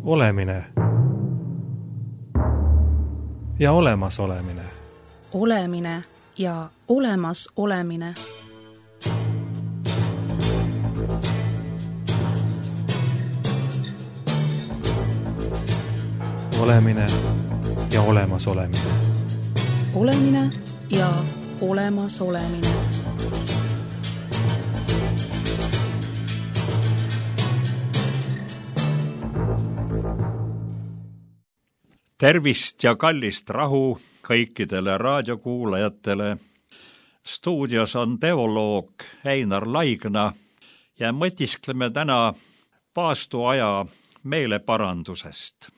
Olemine ja olemasolemine. Olemine ja olemas olemine. Olemine ja olemas olemine. Olemine ja olemas olemine. Tervist ja kallist rahu kõikidele raadiokuulajatele. Stuudios on teoloog Einar Laigna ja mõtiskleme täna paastuaja meeleparandusest.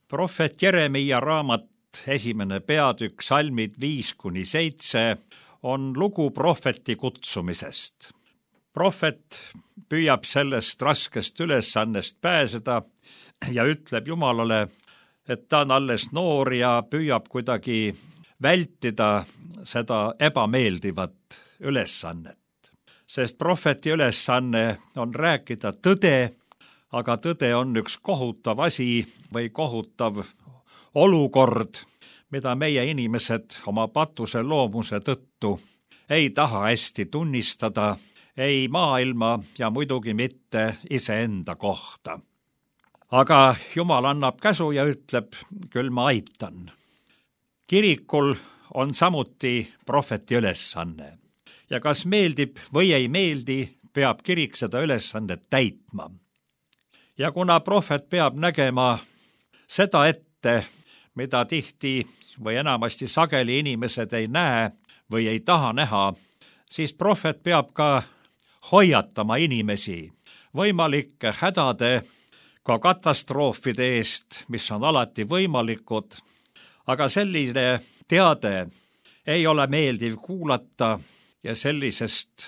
Prohvet Jeremia raamat 1. peatükk, salmid 5-7 on lugu prohveti kutsumisest. Prohvet püüab sellest raskest ülesannest pääseda ja ütleb Jumalale, et ta on alles noor ja püüab kuidagi vältida seda ebameeldivat ülesannet. Sest prohveti ülesanne on rääkida tõde, aga tõde on üks kohutav asi või kohutav olukord, mida meie inimesed oma patuse loomuse tõttu ei taha hästi tunnistada, ei maailma ja muidugi mitte iseenda kohta. Aga Jumal annab käsu ja ütleb, küll ma aitan. Kirikul on samuti prohveti ülesanne. Ja kas meeldib või ei meeldi, peab kirik seda ülesannet täitma. Ja kuna prohvet peab nägema seda ette, mida tihti või enamasti sageli inimesed ei näe või ei taha näha, siis prohvet peab ka hoiatama inimesi võimalike hädade, ka katastroofide eest, mis on alati võimalikud, aga selline teade ei ole meeldiv kuulata ja selliseid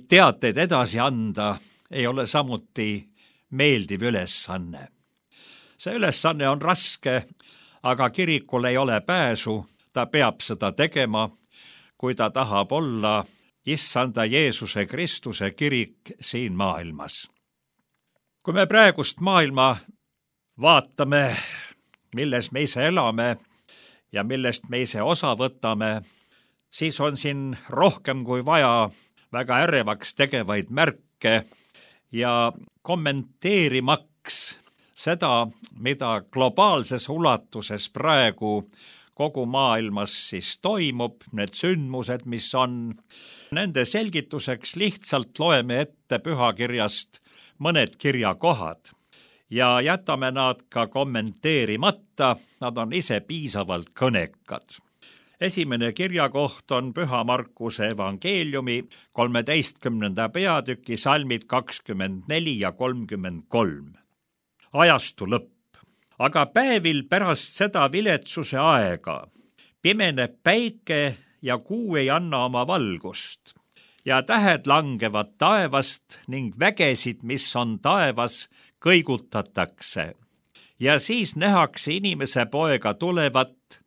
teateid edasi anda ei ole samuti meeldiv ülesanne. See ülesanne on raske, aga kirikul ei ole pääsu, ta peab seda tegema, kui ta tahab olla Issanda Jeesuse Kristuse kirik siin maailmas. Kui me praegust maailma vaatame, milles me ise elame ja millest me ise osa võtame, siis on siin rohkem kui vaja väga ärevaks tegevaid märke ja kommenteerimaks seda, mida globaalses ulatuses praegu kogu maailmas siis toimub, need sündmused, mis on, nende selgituseks lihtsalt loeme ette pühakirjast mõned kirjakohad ja jätame nad ka kommenteerimata, nad on ise piisavalt kõnekad. Esimene kirjakoht on Püha Markuse evangeeliumi 13. peatüki salmid 24 ja 33. Ajastu lõpp. Aga päevil pärast seda viletsuse aega pimeneb päike ja kuu ei anna oma valgust. Ja tähed langevad taevast ning vägesid, mis on taevas, kõigutatakse. Ja siis nähakse inimese poega tulevat,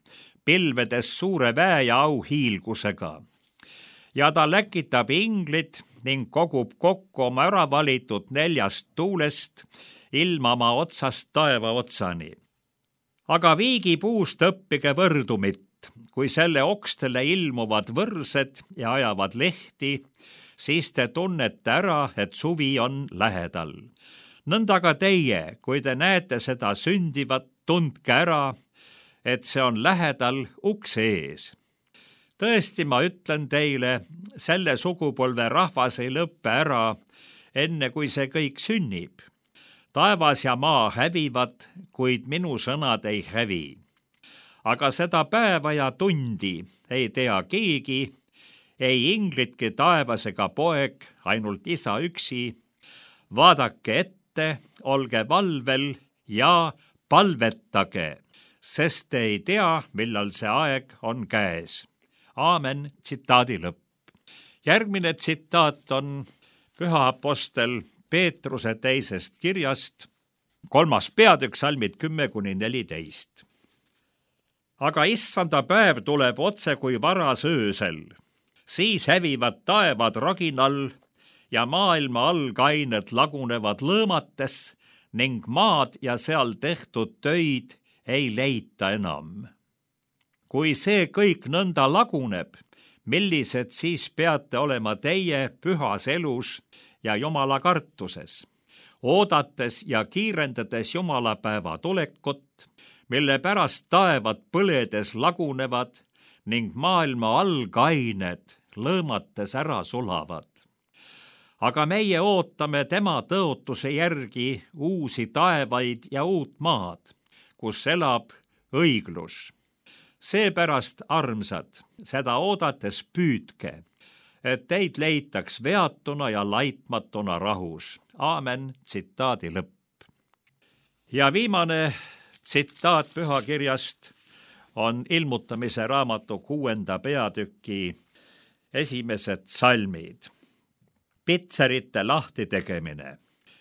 pilvedes suure väe ja auhiilgusega. Ja ta läkitab inglid ning kogub kokku oma ära valitud 4 tuulest, ilmama otsast taeva otsani. Aga viigipuust õppige võrdumit. Kui selle okstele ilmuvad võrsed ja ajavad lehti, siis te tunnete ära, et suvi on lähedal. Nõnda ka teie, kui te näete seda sündivat, tundke ära, et see on lähedal ukse ees. Tõesti, ma ütlen teile, selle sugupolve rahvas ei lõppe ära, enne kui see kõik sünnib. Taevas ja maa hävivad, kuid minu sõnad ei hävi. Aga seda päeva ja tundi ei tea keegi, ei inglitki taevas ega poeg, ainult isa üksi. Vaadake ette, olge valvel ja palvetage, sest te ei tea, millal see aeg on käes. Aamen, tsitaadi lõpp. Järgmine tsitaat on Püha apostel Peetruse 2. kirjast, 3. peatükk, salmid 10-14. Aga issanda päev tuleb otse kui varas öösel. Siis hävivad taevad raginal ja maailma algained lagunevad lõõmates ning maad ja seal tehtud töid ei leita enam. Kui see kõik nõnda laguneb, millised siis peate olema teie pühas elus ja Jumala kartuses, oodates ja kiirendades jumalapäeva tulekut, mille pärast taevad põledes lagunevad ning maailma algained lõõmates ära sulavad. Aga meie ootame tema tõotuse järgi uusi taevaid ja uut maad, kus elab õiglus. Seepärast, armsad, seda oodates püüdke, et teid leitaks veatuna ja laitmatuna rahus. Aamen, tsitaadi lõpp. Ja viimane tsitaat pühakirjast on Ilmutamise raamatu 6. peatüki esimesed salmid. Pitserite lahti tegemine.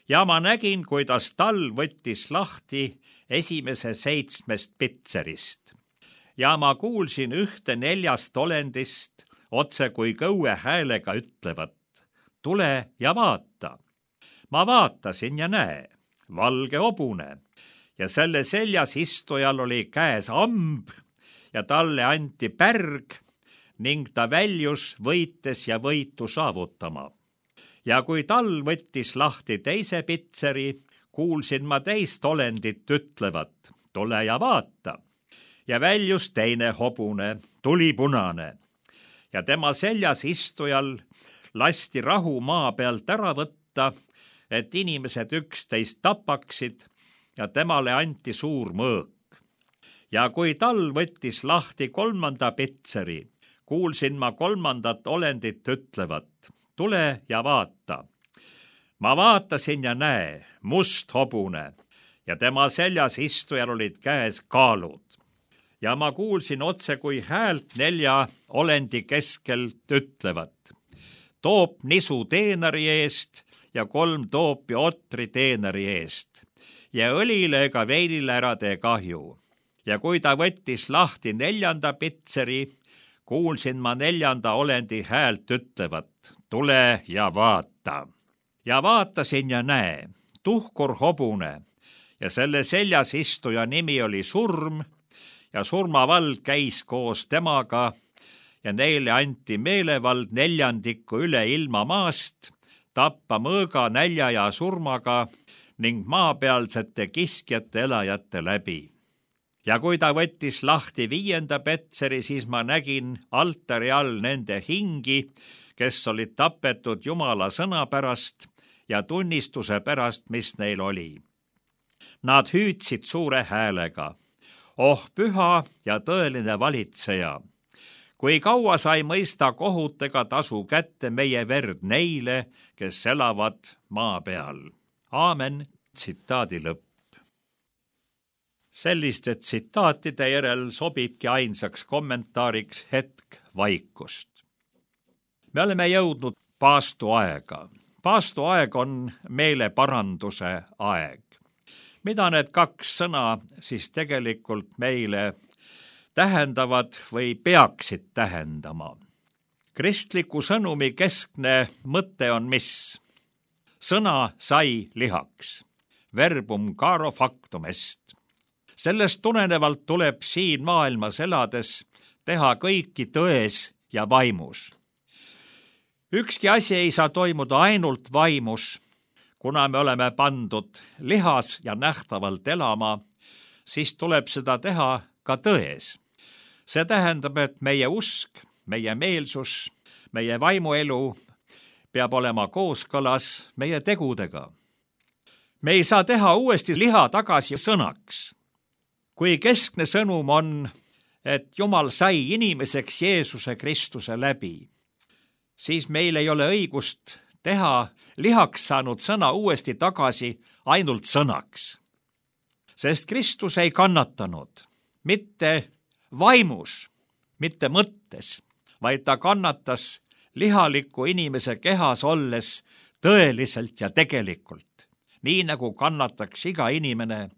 Ja ma nägin, kuidas talv võttis lahti esimese 7 pitserist. Ja ma kuulsin ühte 4 olendist otse kui kõue häälega ütlevat, tule ja vaata. Ma vaatasin ja näe, valge hobune ja selle seljas istujal oli käes amb ja talle anti pärg ning ta väljus võites ja võitu saavutama. Ja kui talv võttis lahti teise pitseri, kuulsin ma teist olendit ütlevat, tule ja vaata. Ja väljus teine hobune, tulipunane, ja tema seljas istujal lasti rahu maa pealt ära võtta, et inimesed üksteist tapaksid ja temale anti suur mõõk. Ja kui talv võttis lahti 3. pitseri, kuulsin ma 3. olendit ütlevat, tule ja vaata. Ma vaatasin ja näe, must hobune ja tema seljas istujal olid käes kaalud. Ja ma kuulsin otse kui häält 4 olendi keskelt ütlevat, toop nisu teenari eest ja 3 toopi otri teenari eest ja õlile ega veinile ära tee kahju. Ja kui ta võttis lahti 4. pitseri, kuulsin ma 4. olendi häält ütlevat, tule ja vaata. Ja vaatasin ja näe, tuhkur hobune ja selle seljas istuja nimi oli Surm ja surmavald käis koos temaga ja neile anti meelevald 4 üle ilma maast, tappa mõõga, nälja ja surmaga ning maapealsete kiskjate elajate läbi. Ja kui ta võttis lahti 5. petseri, siis ma nägin altari all nende hingi, kes olid tapetud Jumala sõna pärast ja tunnistuse pärast, mis neil oli. Nad hüüdsid suure häälega, oh püha ja tõeline valitseja, kui kaua sa ei mõista kohut ega tasu kätte meie verd neile, kes elavad maa peal. Aamen, tsitaadi lõpp. Selliste tsitaatide järel sobibki ainsaks kommentaariks hetk vaikust. Me oleme jõudnud paastuaega. Paastuaeg on meeleparanduse aeg. Mida need 2 sõna siis tegelikult meile tähendavad või peaksid tähendama? Kristliku sõnumi keskne mõte on mis? Sõna sai lihaks. Verbum caro factum est. Sellest tulenevalt tuleb siin maailmas elades teha kõiki tões ja vaimus. Ükski asi ei saa toimuda ainult vaimus, kuna me oleme pandud lihas ja nähtavalt elama, siis tuleb seda teha ka tões. See tähendab, et meie usk, meie meelsus, meie vaimuelu peab olema kooskõlas meie tegudega. Me ei saa teha uuesti liha tagasi sõnaks. Kui keskne sõnum on, et Jumal sai inimeseks Jeesuse Kristuse läbi, siis meil ei ole õigust teha lihaks saanud sõna uuesti tagasi ainult sõnaks. Sest Kristus ei kannatanud mitte vaimus, mitte mõttes, vaid ta kannatas lihaliku inimese kehas olles tõeliselt ja tegelikult, nii nagu kannataks iga inimene,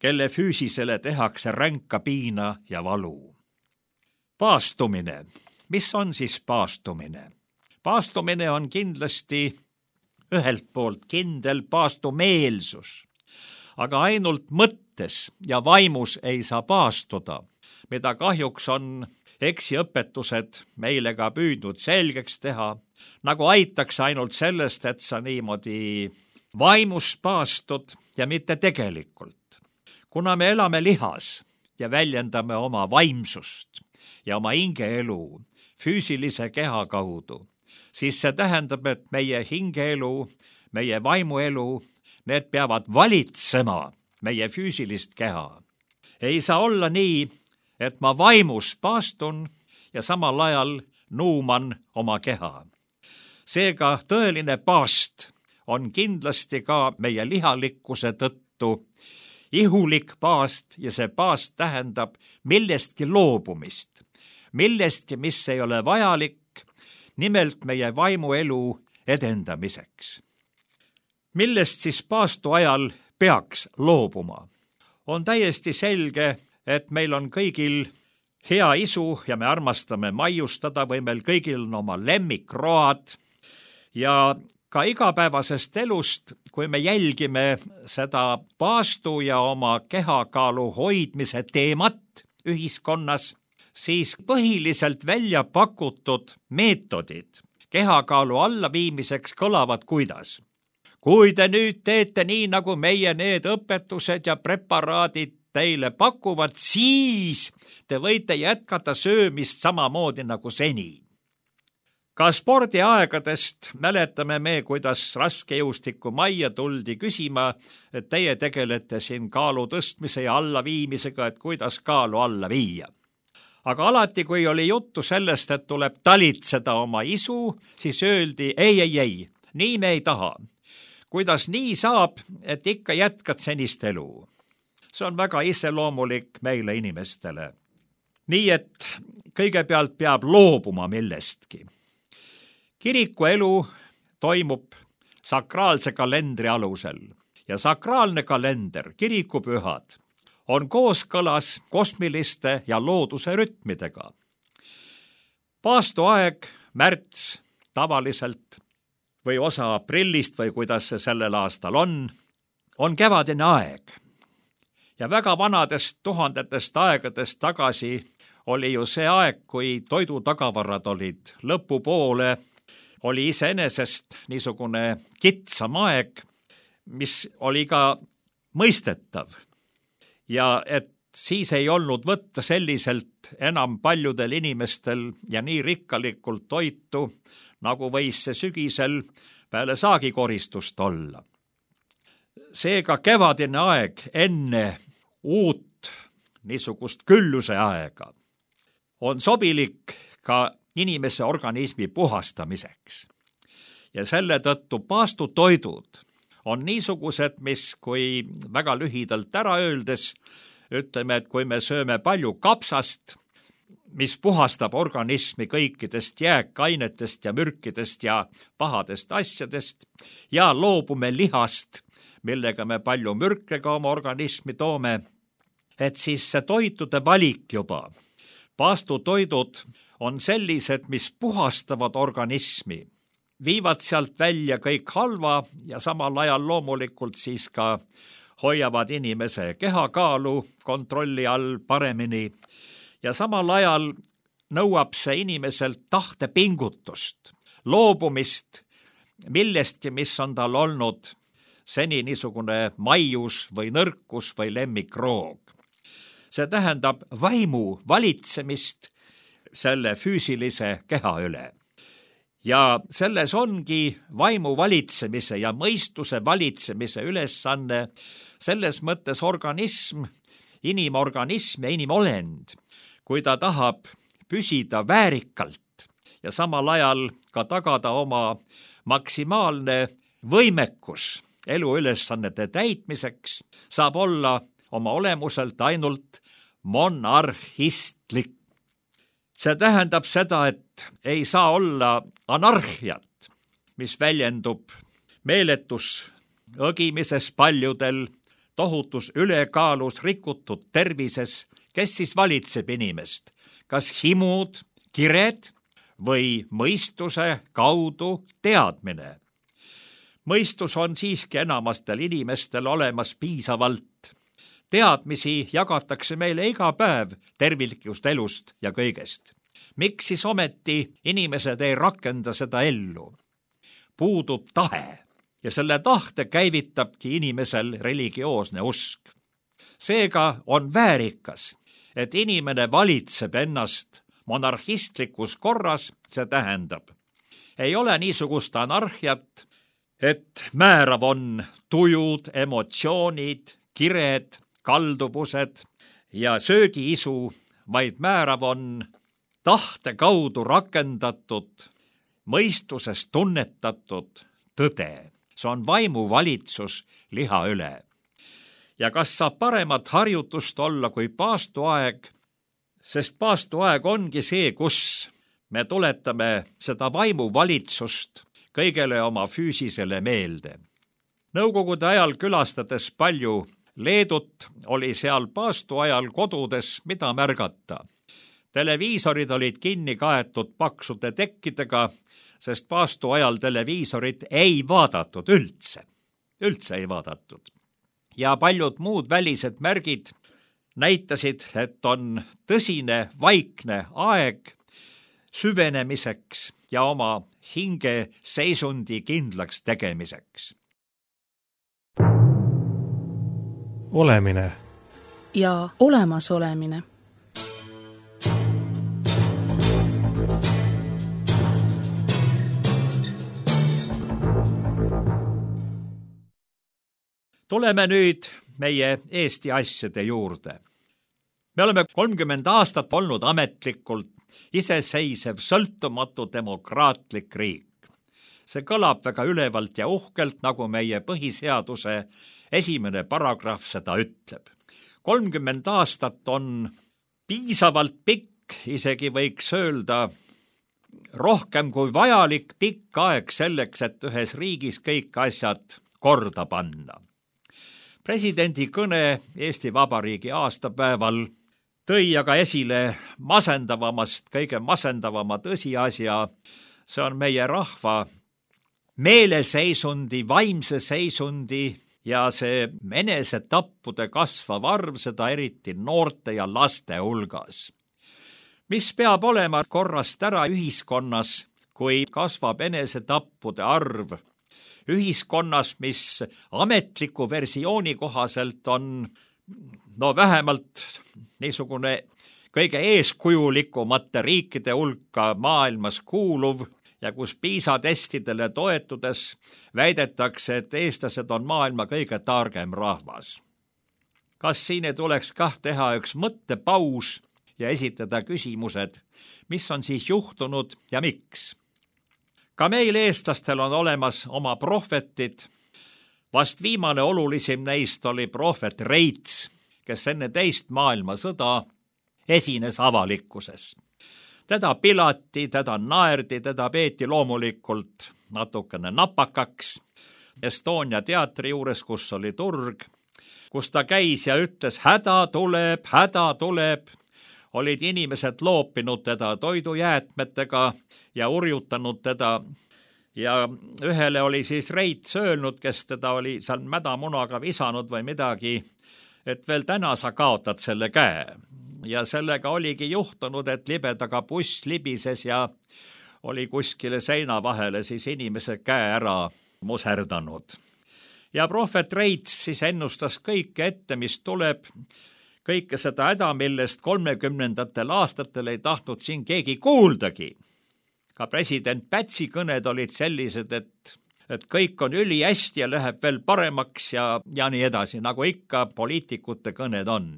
kelle füüsisele tehakse ränka piina ja valu. Paastumine. Mis on siis paastumine? Paastumine on kindlasti ühelt poolt kindel paastumeelsus. aga ainult mõttes ja vaimus ei saa paastuda, mida kahjuks on eksiõpetused meile ka püüdnud selgeks teha, nagu aitaks ainult sellest, et sa niimoodi vaimus paastud ja mitte tegelikult. Kuna me elame lihas ja väljendame oma vaimsust ja oma hingeelu füüsilise keha kaudu, siis see tähendab, et meie hingeelu, meie vaimuelu, need peavad valitsema meie füüsilist keha. Ei saa olla nii, et ma vaimus paastun ja samal ajal nuuman oma keha. Seega tõeline paast on kindlasti ka meie lihalikkuse tõttu ihulik paast ja see paast tähendab millestki loobumist, millestki, mis ei ole vajalik, nimelt meie vaimuelu edendamiseks. Millest siis paastu ajal peaks loobuma? On täiesti selge, et meil on kõigil hea isu ja me armastame maiustada või meil kõigil on oma lemmikroad ja ka igapäevasest elust, kui me jälgime seda paastu ja oma kehakaalu hoidmise teemat ühiskonnas, siis põhiliselt välja pakutud meetodid kehakaalu allaviimiseks kõlavad kuidas? Kui te nüüd teete nii, nagu meie need õpetused ja preparaadid teile pakuvad, siis te võite jätkata söömist samamoodi nagu seni. Ka spordiaegadest mäletame me, kuidas raskejõustiku majja tuldi küsima, et teie tegelete siin kaalu tõstmise ja allaviimisega, et kuidas kaalu alla viia. Aga alati, kui oli juttu sellest, et tuleb talitseda oma isu, siis öeldi ei, nii me ei taha. Kuidas nii saab, et ikka jätkad senist elu? See on väga iseloomulik meile inimestele. Nii et kõigepealt peab loobuma millestki. Kiriku elu toimub sakraalse kalendri alusel ja sakraalne kalender, kirikupühad, on kooskõlas kosmiliste ja looduse rütmidega. Paastuaeg, märts, tavaliselt või osa aprillist või kuidas see sellel aastal on kevadine aeg. Ja väga vanadest tuhandetest aegadest tagasi oli ju see aeg, kui toidutagavarad olid lõpupoole, oli iseenesest niisugune kitsam aeg, mis oli ka mõistetav. Ja et siis ei olnud võtta selliselt enam paljudel inimestel ja nii rikkalikult toitu, nagu võis see sügisel peale saagikoristust olla. Seega kevadine aeg enne uut niisugust külluse aega on sobilik ka inimese organismi puhastamiseks. Ja selle tõttu paastutoidud on niisugused, mis kui väga lühidalt ära öeldes, ütleme, et kui me sööme palju kapsast, mis puhastab organismi kõikidest jääkainetest ja mürkidest ja pahadest asjadest ja loobume lihast, millega me palju mürke ka oma organismi toome, et siis see toitude valik juba. Paastutoidud on sellised, mis puhastavad organismi, viivad sealt välja kõik halva ja samal ajal loomulikult siis ka hoiavad inimese kehakaalu kontrolli all paremini ja samal ajal nõuab see inimeselt tahtepingutust, loobumist millestki, mis on tal olnud seni niisugune maius või nõrkus või lemmikroog. See tähendab vaimu valitsemist selle füüsilise keha üle. Ja selles ongi vaimu valitsemise ja mõistuse valitsemise ülesanne, selles mõttes organism, inimorganism ja inimolend, kui ta tahab püsida väärikalt ja samal ajal ka tagada oma maksimaalne võimekus eluülesannete täitmiseks, saab olla oma olemuselt ainult monarhistlik. See tähendab seda, et ei saa olla anarhiat, mis väljendub meeletus õgimises paljudel, tohutus ülekaalus, rikutud tervises, kes siis valitseb inimest, kas himud, kired või mõistuse kaudu teadmine. mõistus on siiski enamastel inimestel olemas piisavalt. Teadmisi jagatakse meile iga päev terviklikust elust ja kõigest. Miks siis ometi inimesed ei rakenda seda ellu? Puudub tahe ja selle tahte käivitabki inimesel religioosne usk. Seega on väärikas, et inimene valitseb ennast monarhistlikus korras, see tähendab. Ei ole niisugust anarhiat, et määrav on tujud, emotsioonid, kired, kalduvused ja söögiisu, vaid määrav on tahte kaudu rakendatud, mõistuses tunnetatud tõde. See on vaimuvalitsus liha üle. Ja kas saab paremat harjutust olla kui paastuaeg, sest paastuaeg ongi see, kus me tuletame seda vaimuvalitsust kõigele oma füüsisele meelde. Nõukogude ajal külastades palju Leedut oli seal paastuajal kodudes, mida märgata. Televiisorid olid kinni kaetud paksude tekkidega, sest paastuajal televiisorit ei vaadatud üldse ei vaadatud. Ja paljud muud välised märgid näitasid, et on tõsine vaikne aeg süvenemiseks ja oma hinge seisundi kindlaks tegemiseks. Olemine ja olemasolemine. Tuleme nüüd meie Eesti asjade juurde. Me oleme 30 aastat olnud ametlikult iseseisev, sõltumatu demokraatlik riik. See kõlab väga ülevalt ja uhkelt, nagu meie põhiseaduse 1. paragrahv seda ütleb. 30 aastat on piisavalt pikk, isegi võiks öelda rohkem kui vajalik pikk aeg selleks, et ühes riigis kõik asjad korda panna. Presidendi kõne Eesti Vabariigi aastapäeval tõi aga esile kõige masendavama tõsiasja. See on meie rahva meeleseisundi, vaimse seisundi ja see enesetappude kasvav arv, seda eriti noorte ja laste hulgas. Mis peab olema korrast ära ühiskonnas, kui kasvab enesetappude arv? Ühiskonnas, mis ametliku versiooni kohaselt on vähemalt niisugune kõige eeskujulikumate riikide hulka maailmas kuuluv ja kus PISA testidele toetudes väidetakse, et eestlased on maailma kõige targem rahvas. Kas siin ei tuleks teha üks mõttepaus ja esitada küsimused, mis on siis juhtunud ja miks? Ka meil eestlastel on olemas oma prohvetid. Vast viimane olulisim neist oli prohvet Reits, kes enne teist maailmasõda esines avalikkuses. Teda pilati, teda naerdi, teda peeti loomulikult natukene napakaks. Estonia teatri juures, kus oli turg, kus ta käis ja ütles, häda tuleb, olid inimesed loopinud teda toidujäätmetega ja urjutanud teda. Ja ühele oli siis Reits öelnud, kes teda oli seal mädamunaga visanud või midagi, et veel täna sa kaotad selle käe. Ja sellega oligi juhtunud, et libedaga buss libises ja oli kuskile seina vahele siis inimese käe ära muserdanud. Ja prohvet Reits siis ennustas kõike ette, mis tuleb, kõike seda häda, millest 30. aastatel ei tahtnud siin keegi kuuldagi. Ka president Pätsi kõned olid sellised, et kõik on ülihästi ja läheb veel paremaks ja nii edasi, nagu ikka poliitikute kõned on.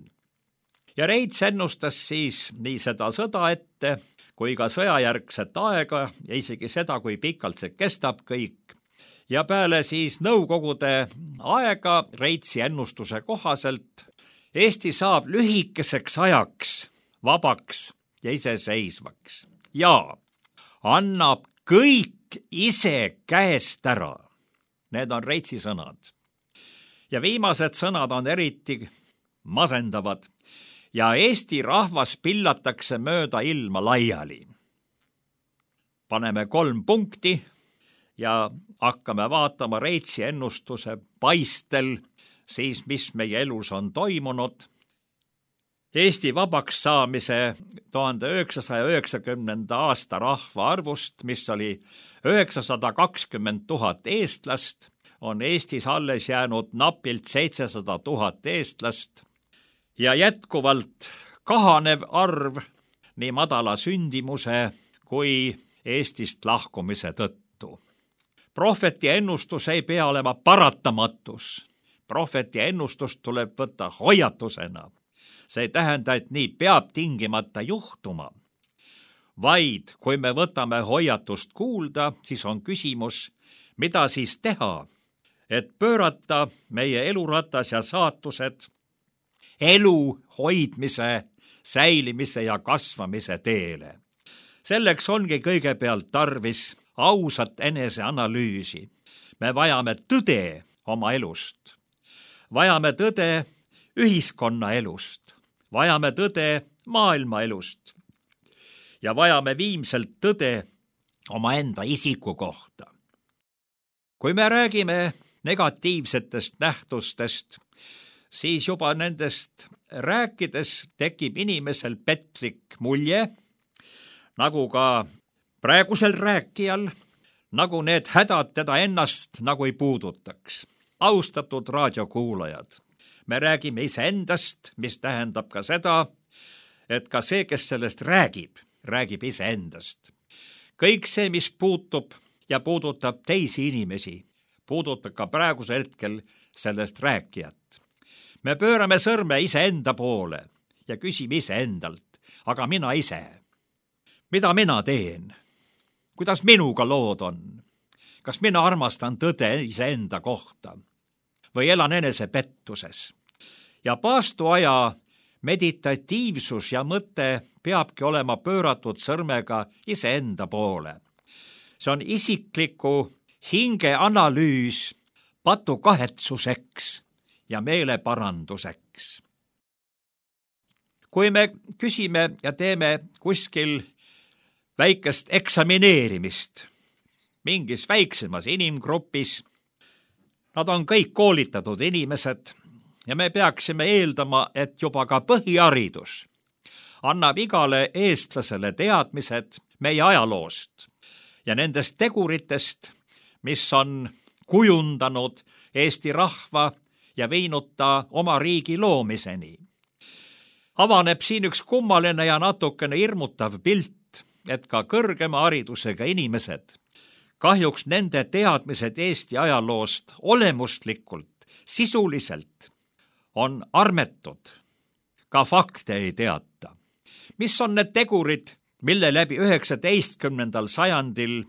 Ja Reits ennustas siis nii seda sõda ette, kui ka sõjajärgset aega ja isegi seda, kui pikalt see kestab kõik. Ja peale siis nõukogude aega Reitsi ennustuse kohaselt Eesti saab lühikeseks ajaks vabaks ja iseseisvaks ja annab kõik ise käest ära. Need on Reitsi sõnad. Ja viimased sõnad on eriti masendavad ja Eesti rahvas pillatakse mööda ilma laiali. Paneme 3 punkti ja hakkame vaatama Reitsi ennustuse paistel, siis mis meie elus on toimunud. Eesti vabaks saamise 1990. aasta rahvaarvust, mis oli 920 000 eestlast, on Eestis alles jäänud napilt 700 000 eestlast ja jätkuvalt kahanev arv nii madala sündimuse kui Eestist lahkumise tõttu. Prohveti ennustus ei pea olema paratamatus. Prohveti ennustust tuleb võtta hoiatusena. See ei tähenda, et nii peab tingimata juhtuma. Vaid kui me võtame hoiatust kuulda, siis on küsimus, mida siis teha, et pöörata meie eluratas ja saatused elu hoidmise, säilimise ja kasvamise teele. Selleks ongi kõigepealt tarvis ausat eneseanalüüsi. Me vajame tõde oma elust. Vajame tõde ühiskonna elust. Vajame tõde maailma elust. Ja vajame viimselt tõde omaenda isiku kohta. Kui me räägime negatiivsetest nähtustest, siis juba nendest rääkides tekib inimesel petlik mulje, nagu ka praegusel rääkijal, nagu need hädad teda ennast nagu ei puudutaks. Austatud raadiokuulajad, me räägime iseendast, mis tähendab ka seda, et ka see, kes sellest räägib iseendast. Kõik see, mis puutub ja puudutab teisi inimesi, puudutab ka praegusel hetkel sellest rääkijat. Me pöörame sõrme iseenda poole ja küsime iseendalt, aga mina ise, mida mina teen? Kuidas minuga lood on? Kas mina armastan tõde iseenda kohta või elan enesepettuses? Ja paastuaja meditatiivsus ja mõte peabki olema pööratud sõrmega iseenda poole. See on isikliku hingeanalüüs patukahetsuseks ja meeleparanduseks. Kui me küsime ja teeme kuskil väikest eksamineerimist mingis väiksemas inimgrupis, nad on kõik koolitatud inimesed ja me peaksime eeldama, et juba ka põhiharidus annab igale eestlasele teadmised meie ajaloost ja nendest teguritest, mis on kujundanud Eesti rahva ja viinud ta oma riigi loomiseni. Avaneb siin üks kummaline ja natukene hirmutav pilt, et ka kõrgema haridusega inimesed, kahjuks nende teadmised Eesti ajaloost olemuslikult, sisuliselt on armetud, ka fakte ei teata. Mis on need tegurid, mille läbi 19. sajandil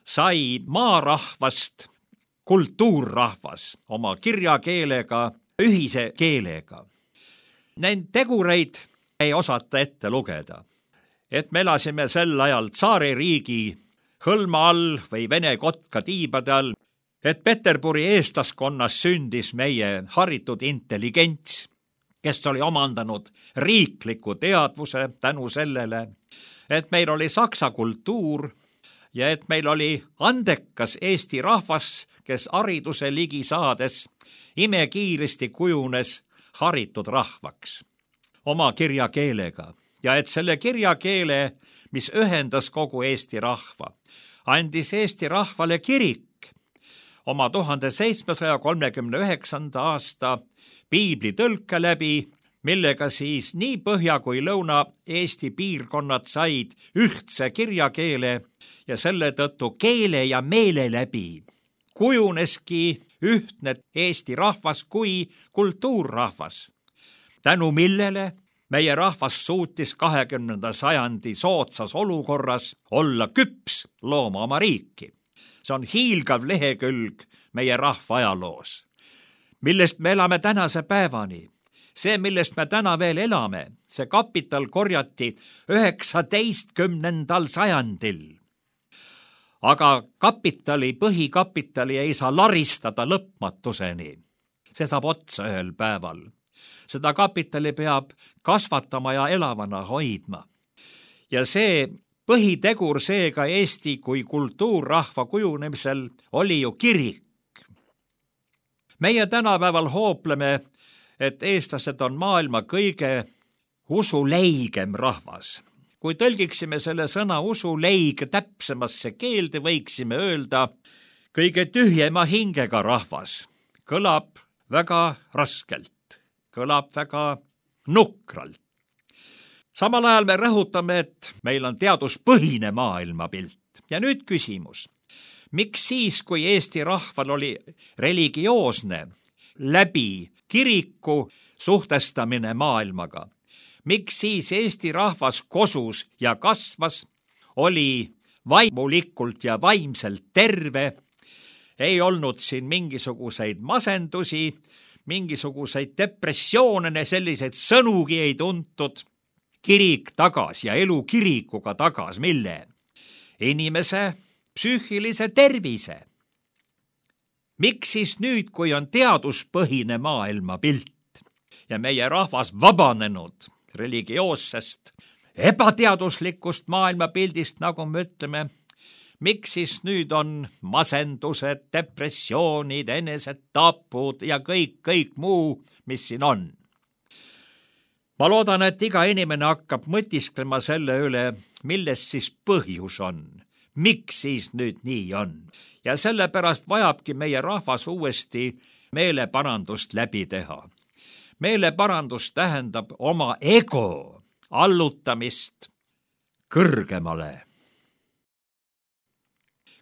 sai maarahvast kultuurrahvas oma kirjakeelega, ühise keelega? Neid tegureid ei osata ette lugeda. Et me elasime sel ajal tsaaririigi hõlma all või Vene kotka tiibade all, et Peterburi eestlaskonnas sündis meie haritud intelligents, kes oli omandanud riikliku teadvuse tänu sellele, et meil oli saksa kultuur ja et meil oli andekas Eesti rahvas, kes hariduse ligi saades imekiiresti kujunes haritud rahvaks oma kirjakeelega ja et selle kirjakeele, mis ühendas kogu Eesti rahva, andis Eesti rahvale kirik oma 1739. aasta piiblitõlke läbi, millega siis nii Põhja kui Lõuna-Eesti piirkonnad said ühtse kirjakeele ja selle tõttu keele ja meele läbi kujuneski ühtne Eesti rahvas kui kultuurrahvas, tänu millele meie rahvas suutis 20. sajandi soodsas olukorras olla küps looma oma riiki. See on hiilgav lehekülg meie rahva ajaloos, millest me elame tänase päevani. See, millest me täna veel elame, see kapital korjati 19. sajandil. Aga põhikapitali ei saa laristada lõpmatuseni. See saab otsa ühel päeval. Seda kapitali peab kasvatama ja elavana hoidma. Ja see põhitegur seega Eesti kui kultuurrahva kujunemisel oli ju kirik. Meie tänapäeval hoopleme, et eestlased on maailma kõige usuleigem rahvas. Kui tõlgiksime selle sõna usuleig täpsemasse keelde, võiksime öelda kõige tühjema hingega rahvas. Kõlab väga raskelt, kõlab väga nukralt. Samal ajal me rõhutame, et meil on teaduspõhine maailmapilt. Ja nüüd küsimus. Miks siis, kui Eesti rahval oli religioosne läbi kiriku suhtestamine maailmaga, miks siis Eesti rahvas kosus ja kasvas, oli vaimulikult ja vaimselt terve, ei olnud siin mingisuguseid masendusi, mingisuguseid depressioone, selliseid sõnugi ei tuntud, kirik tagas ja elu kirikuga tagas, mille? Inimese psüühilise tervise. Miks siis nüüd, kui on teaduspõhine maailmapilt ja meie rahvas vabanenud religioossest ebateaduslikust maailmapildist, nagu me ütleme, miks siis nüüd on masendused, depressioonid, enesetapud ja kõik muu, mis siin on? Ma loodan, et iga inimene hakkab mõtisklema selle üle, milles siis põhjus on. Miks siis nüüd nii on? Ja sellepärast vajabki meie rahvas uuesti meeleparandust läbi teha. Meeleparandus tähendab oma ego allutamist kõrgemale.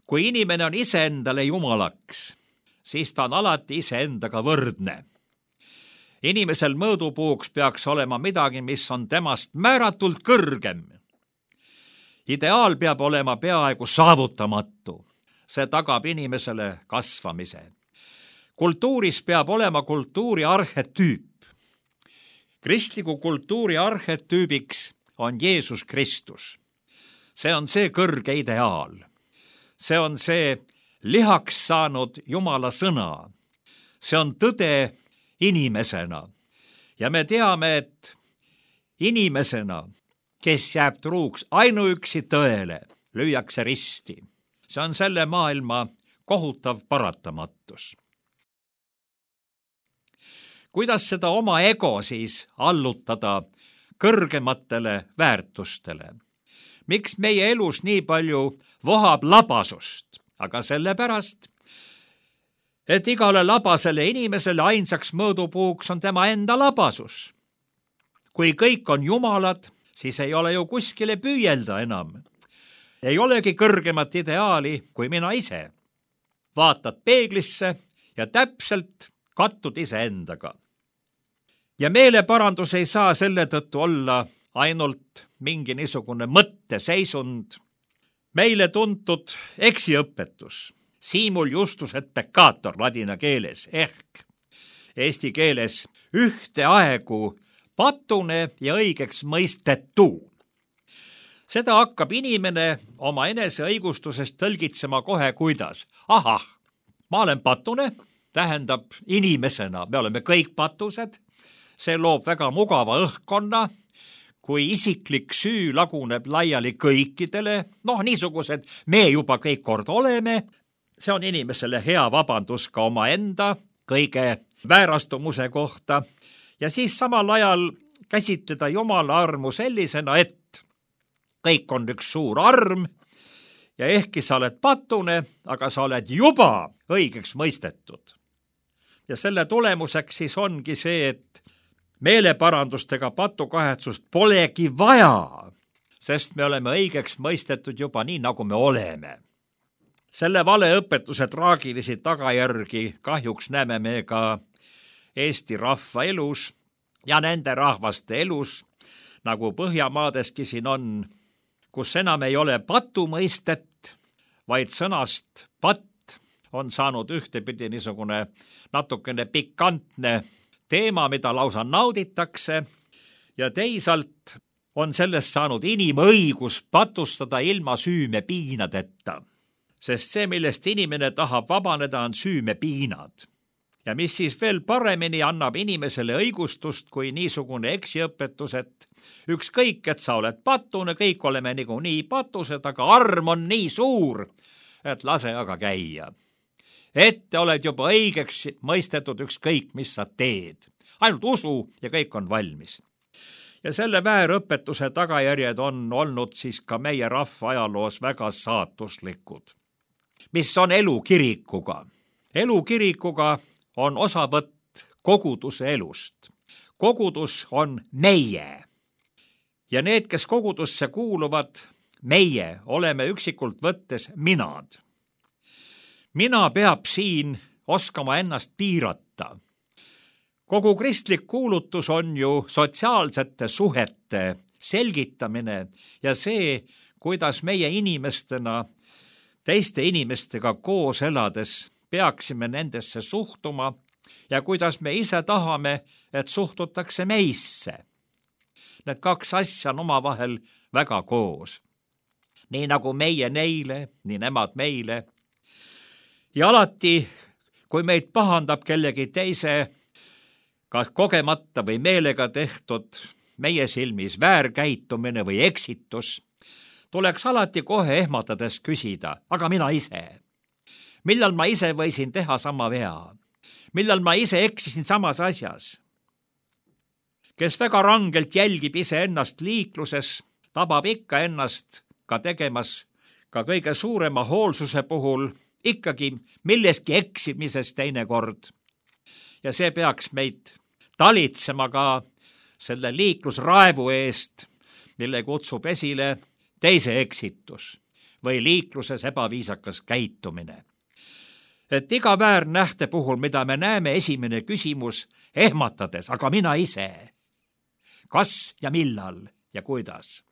Kui inimene on iseendale jumalaks, siis ta on alati iseendaga võrdne. Inimesel mõõdupuuks peaks olema midagi, mis on temast määratult kõrgem. Ideaal peab olema peaaegu saavutamatu. See tagab inimesele kasvamise. Kultuuris peab olema kultuuri arhetüüp. Kristliku kultuuri arhetüübiks on Jeesus Kristus. See on see kõrge ideaal. See on see lihaks saanud Jumala sõna. See on tõde inimesena. Ja me teame, et inimesena, kes jääb truuks ainuüksi tõele, lüüakse risti. See on selle maailma kohutav paratamatus. Kuidas seda oma ego siis allutada kõrgematele väärtustele? Miks meie elus nii palju vohab labasust? Aga sellepärast, et igale labasele inimesele ainsaks mõõdupuuks on tema enda labasus. Kui kõik on jumalad, siis ei ole ju kuskile püüelda enam. Ei olegi kõrgemat ideaali kui mina ise. Vaatad peeglisse ja täpselt kattud iseendaga. Ja meeleparandus ei saa selle tõttu olla ainult mingi niisugune mõtteseisund. Meile tuntud eksiõpetus, simul justus et peccator ladina keeles ehk eesti keeles ühteaegu patune ja õigeks mõistetu. Seda hakkab inimene oma enese õigustusest tõlgitsema kohe kuidas. Ahah, ma olen patune, tähendab inimesena, me oleme kõik patused, see loob väga mugava õhkkonna, kui isiklik süü laguneb laiali kõikidele, niisugused me juba kõik kord oleme, see on inimesele hea vabandus ka oma enda kõige väärastumuse kohta ja siis samal ajal käsitleda Jumala armu sellisena, et kõik on üks suur arm ja ehkki sa oled patune, aga sa oled juba õigeks mõistetud. Ja selle tulemuseks siis ongi see, et meeleparandustega patukahetsust polegi vaja, sest me oleme õigeks mõistetud juba nii, nagu me oleme. Selle valeõpetuse traagilisi tagajärgi kahjuks näeme me ka Eesti rahva elus ja nende rahvaste elus, nagu Põhjamaadeski siin on, kus enam ei ole patumõistet, vaid sõnast patt on saanud ühtepidi niisugune natukene pikantne teema, mida lausa nauditakse, ja teisalt on sellest saanud inimõigus patustada ilma süümepiinadeta. Sest see, millest inimene tahab vabaneda, on süümepiinad. Ja mis siis veel paremini annab inimesele õigustust kui niisugune eksiõpetus, et ükskõik, et sa oled patune, kõik oleme niikuinii patused, aga arm on nii suur, et lase aga käia. Ette oled juba õigeks mõistetud ükskõik, mis sa teed. Ainult usu ja kõik on valmis. Ja selle väärõpetuse tagajärjed on olnud siis ka meie rahva ajaloos väga saatuslikud. Mis on elu kirikuga? Elu kirikuga on osavõtt koguduse elust. Kogudus on meie. Ja need, kes kogudusse kuuluvad, meie oleme üksikult võttes minad. Mina peab siin oskama ennast piirata. Kogu kristlik kuulutus on ju sotsiaalsete suhete selgitamine ja see, kuidas meie inimestena teiste inimestega koos elades peaksime nendesse suhtuma ja kuidas me ise tahame, et suhtutakse meisse. Need kaks asja on omavahel väga koos. Nii nagu meie neile, nii nemad meile. Ja alati, kui meid pahandab kellegi teise, kas kogemata või meelega tehtud meie silmis väärkäitumine või eksitus, tuleks alati kohe ehmatades küsida, aga mina ise? Millal ma ise võisin teha sama vea? Millal ma ise eksisin samas asjas? Kes väga rangelt jälgib iseennast liikluses, tabab ikka ennast ka tegemas ka kõige suurema hoolsuse puhul ikkagi milleski eksimises teinekord. Ja see peaks meid talitsema ka selle liiklusraevu eest, mille kutsub esile teise eksitus või liikluses ebaviisakas käitumine. Et iga väärnähte puhul, mida me näeme, esimene küsimus ehmatades, aga mina ise? Kas ja millal ja kuidas?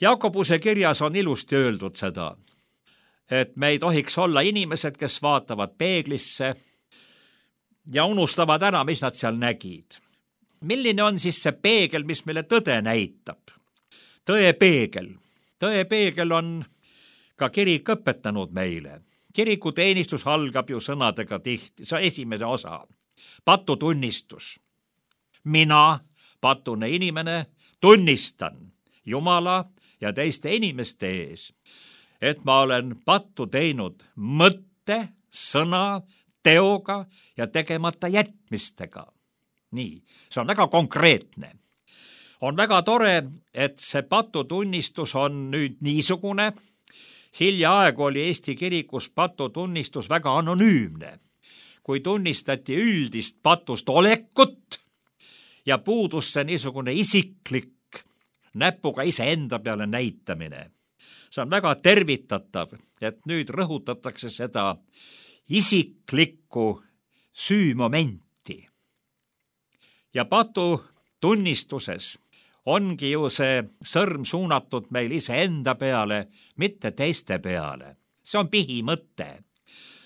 Jakobuse kirjas on ilusti öeldud seda, et me ei tohiks olla inimesed, kes vaatavad peeglisse ja unustavad ära, mis nad seal nägid. Milline on siis see peegel, mis meile tõde näitab? Tõepeegel. Tõepeegel on ka kirik õpetanud meile. Kirikuteenistus algab ju sõnadega tihti, see on esimene osa. Patutunnistus. Mina, patune inimene, tunnistan Jumala ja teiste inimeste ees, et ma olen pattu teinud mõtte, sõna, teoga ja tegemata jätmistega. Nii, see on väga konkreetne. On väga tore, et see patutunnistus on nüüd niisugune. Hiljaaegu oli Eesti kirikus patutunnistus väga anonüümne, kui tunnistati üldist patust olekut ja puudus see niisugune isiklik näpuga iseenda peale näitamine. See on väga tervitatav, et nüüd rõhutatakse seda isiklikku süümomenti. Ja patutunnistuses ongi ju see sõrm suunatud meil iseenda peale, mitte teiste peale. See on põhimõte.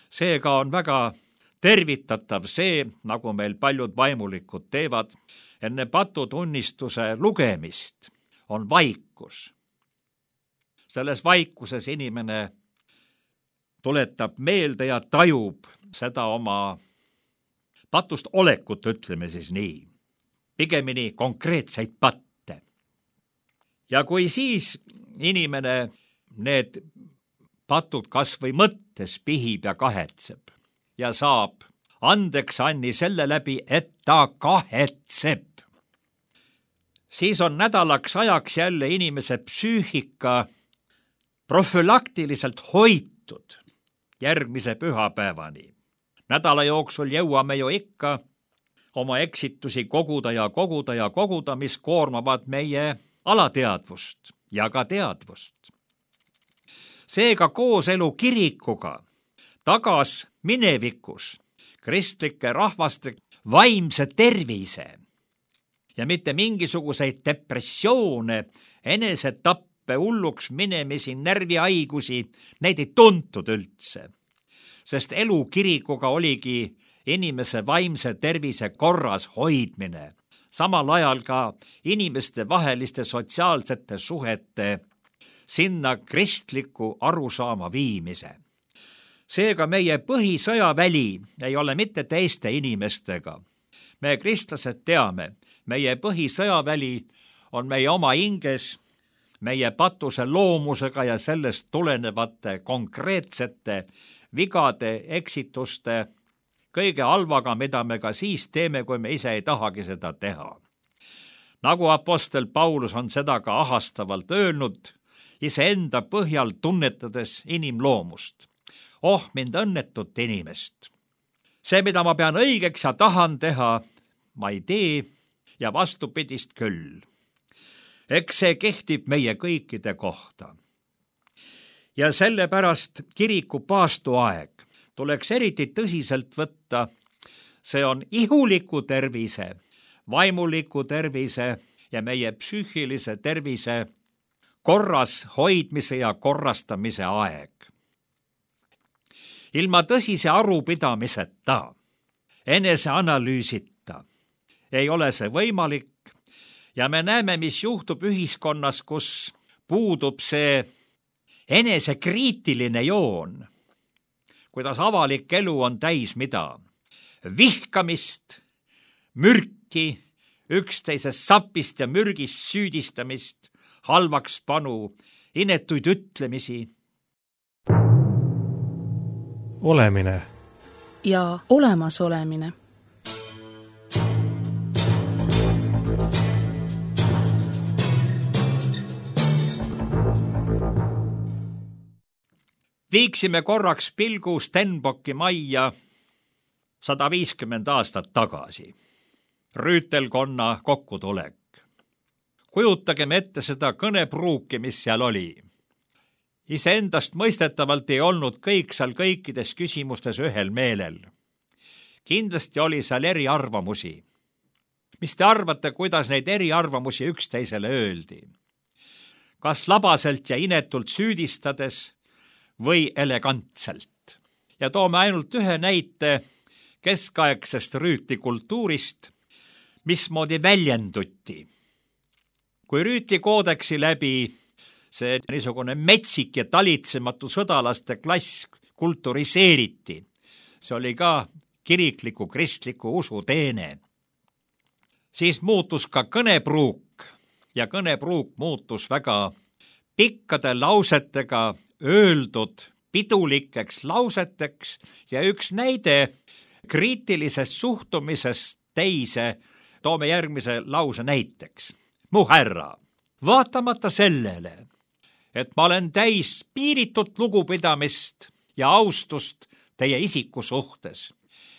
Seega on väga tervitatav see, nagu meil paljud vaimulikud teevad, enne patutunnistuse lugemist on vaikus. Selles vaikuses inimene tuletab meelde ja tajub seda oma patust olekut, ütleme siis nii. Pigemini konkreetseid patte. Ja kui siis inimene need patud kas või mõttes pihib ja kahetseb ja saab andeks anni selle läbi, et ta kahetseb, siis on nädalaks ajaks jälle inimese psüühika profülaktiliselt hoitud järgmise pühapäevani. Nädala jooksul jõuame ju ikka oma eksitusi koguda ja koguda ja koguda, mis koormavad meie alateadvust ja ka teadvust. Seega kooselu kirikuga tagas minevikus kristlike rahvaste vaimse tervise ja mitte mingisuguseid depressioone, enesetappe, hulluks minemisi, närvihaigusi, neid ei tuntud üldse, sest elu kirikuga oligi inimese vaimse tervise korras hoidmine, samal ajal ka inimeste vaheliste sotsiaalsete suhete sinna kristliku arusaama viimise. seega meie põhisõjaväli ei ole mitte teiste inimestega. Me kristlased teame, meie põhisõjaväli on meie oma hinges, meie patuse loomusega ja sellest tulenevate konkreetsete vigade, eksituste, kõige halvaga, mida me ka siis teeme, kui me ise ei tahagi seda teha. Nagu apostel Paulus on seda ka ahastavalt öelnud, iseenda põhjal tunnetades inimloomust. Oh, mind õnnetut inimest! See, mida ma pean õigeks ja tahan teha, ma ei tee ja vastupidist küll. Eks see kehtib meie kõikide kohta. Ja sellepärast kiriku paastuaeg tuleks eriti tõsiselt võtta. See on ihuliku tervise, vaimuliku tervise ja meie psüühilise tervise korras hoidmise ja korrastamise aeg. Ilma tõsise arupidamiseta, eneseanalüüsita ei ole see võimalik ja me näeme, mis juhtub ühiskonnas, kus puudub see enesekriitiline joon, kuidas avalik elu on täis mida? Vihkamist, mürki, üksteisest sapist ja mürgist süüdistamist, halvakspanu, inetuid ütlemisi. Olemine ja olemasolemine. Viiksime korraks pilgu Stenbocki majja 150 aastat tagasi. Rüütelkonna kokkutulek. Kujutagem ette seda kõnepruuki, mis seal oli. Iseendast mõistetavalt ei olnud kõik seal kõikides küsimustes ühel meelel. Kindlasti oli seal eriarvamusi. Mis te arvate, kuidas neid eriarvamusi üksteisele öeldi? Kas labaselt ja inetult süüdistades või elegantselt? Ja toome ainult ühe näite keskaegsest rüütlikultuurist, mismoodi väljenduti. Kui rüütlikoodeksi läbi see niisugune metsik ja talitsematu sõdalaste klass kulturiseeriti, see oli ka kirikliku kristliku usu teene, siis muutus ka kõnepruuk ja kõnepruuk muutus väga pikkade lausetega öeldud pidulikeks lauseteks ja üks näide kriitilisest suhtumisest teise toome järgmise lause näiteks. Mu härra, vaatamata sellele, et ma olen täis piiritut lugupidamist ja austust teie isiku suhtes,